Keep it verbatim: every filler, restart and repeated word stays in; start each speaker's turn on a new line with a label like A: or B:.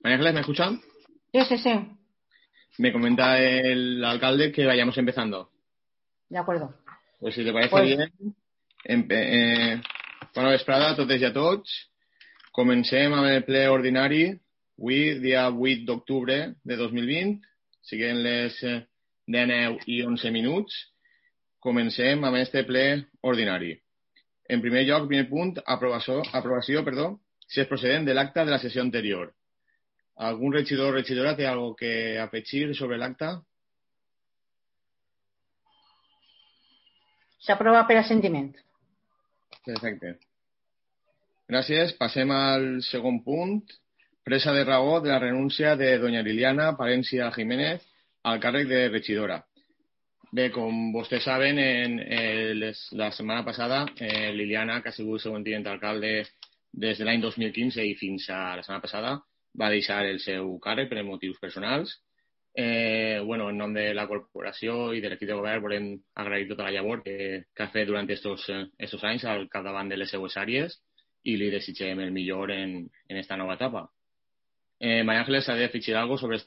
A: María Ángeles, ¿me escuchan?
B: Sí, sí, sí.
A: Me comenta el alcalde que vayamos empezando.
B: De acuerdo.
A: Pues si te parece
B: Pues
A: bien, empe eh, bona vesprada a totes i a tots. Comencem amb el ple ordinari, avui, dia vuit d'octubre de dos mil vint, siguent les deu i onze minuts. Comencem amb este ple ordinari. En primer lloc, primer punt, aprovació, aprovació perdó, si és procedent de l'acta de la sessió anterior. ¿Algún regidor o regidora té algo que afegir sobre l'acta?
B: s'aprova per assentiment.
A: Perfecte. Gràcies. Passem al segon punt. Presa de raó de la renúncia de doña Liliana Palencia Jiménez al càrrec de regidora. Bé, com vostès saben, en, eh, les, la setmana passada eh, Liliana, que ha sigut segon tinent alcalde des de l'any dos mil quinze i fins a la setmana passada, va deixar el seu càrrec per motius personals. Eh, bueno, en nom de la corporació i de l'equip de govern volem agrair tota la llavor que, que ha fet durant estos, estos anys al capdavant de les seues àrees i li desitgem el millor en, en esta nova etapa. Eh, María Ángeles, ¿ha de afegir algo sobre este